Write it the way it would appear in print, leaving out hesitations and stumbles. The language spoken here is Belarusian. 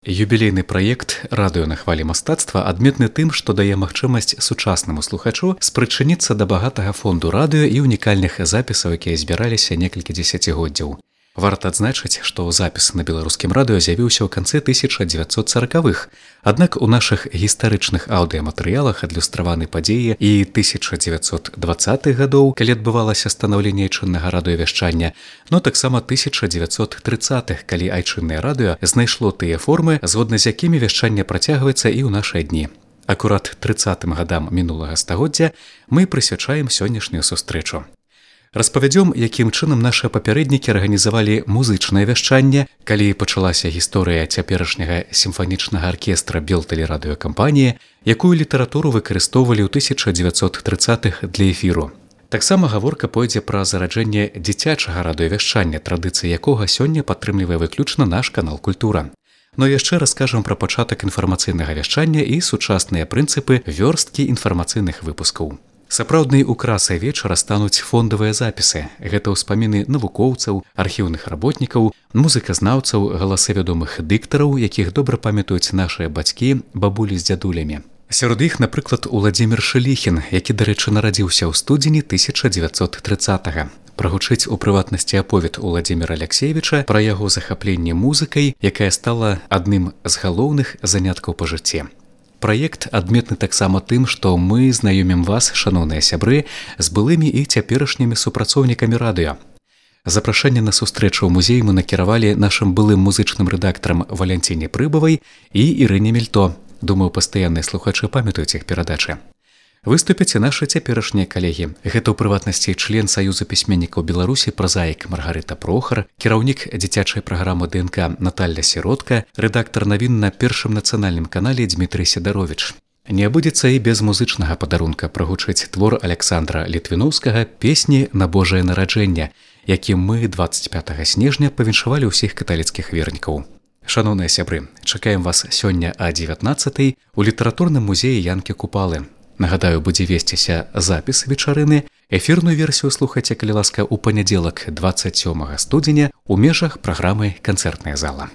Юбілейны праект «Радыё на хвалі мастацтва» адметны тым, што дае магчымасць сучаснаму слухачу спрычыніцца да багатага фонду радыё і унікальных запісаў, якія збіраліся некалькі дзесяцігоддзяў. Варта адзначыць, што запіс на беларускім радыё з'явіўся ў канцы 1940-х, аднак у нашых гістарычных аўдыяматэрыялах адлюстраваны падзеі і 1920-х гадоў, калі адбывалася станаўленне айчыннага радыёвяшчання, но таксама 1930-х, калі айчыннае радыё знайшло тыя формы, згодна з якімі вяшчанне працягваецца і ў нашыя дні. Акурат 30-м гадам мінулага стагоддзя мы прысвячаем сённяшнюю сустрэчу. Распавядзём, якім чынам нашы папярэднікі арганізавалі музычнае вяшчанне, калі пачалася гісторыя цяперашняга сімфанічнага аркестра Белтэлерадыёкампаніі, якую літаратуру выкарыстоўвалі ў 1930-х для эфіру. Таксама гаворка пойдзе пра зараджэнне дзіцячага радыёвяшчання, традыцыі якога сёння падтрымлівае выключна наш канал «Культура». Но яшчэ раскажам пра пачатак інфармацыйнага вяшчання і сучасныя прынцыпы вёрсткі інфармацыйных выпускаў. Сапраўднай украсай вечара стануць фондавыя запісы. Гэта ўспаміны навукоўцаў, архіўных работнікаў, музыказнаўцаў, галасы вядомых дыктараў, якіх добра памятаюць нашыя бацькі, бабулі з дзядулямі. Сярод іх, напрыклад, Уладзімір Шыліхін, які, дарэчы, нарадзіўся ў студзені 1920-га. Прагучыць у прыватнасці аповед Уладзіміра Аляксеевіча пра яго захапленне музыкай, якая стала адным з галоўных заняткаў па жыцці. Праект адметны таксама тым, што мы знаёмім вас, шаноўныя сябры, з былымі і цяперашнімі супрацоўнікамі радыё. Запрашэнне на сустрэчу ў музей мы накіравалі нашым былым музычным рэдактарам Валянціне Прыбавай і Ірыне Мельто. Думаю, пастаянныя слухачы памятаюць іх перадачы. Выступяць і нашы цяперашнія калегі. Гэта ў прыватнасці член Саюза пісьменнікаў Беларусі празаік Маргарыта Прохар, кіраўнік дзіцячай праграмы ДНК Наталля Сіротка, рэдактар навін на Першым нацыянальным канале Дмітрый Сідаровіч. Не абудзецца і без музычнага падарунка прагучыць твор Аляксандра Літвіноўскага «Песні на Божае нараджэнне», якім мы 25 снежня павіншавалі ўсіх каталіцкіх вернікаў. Шаноўныя сябры, чакаем вас сёння о 19-й у літаратурным музеі Янкі Купалы. Нагадаю, будзе весціся запіс вечарыны. Эфірную версію слухайце, калі ласка, у панядзелак 27 студзеня ў межах праграмы «Канцэртная зала».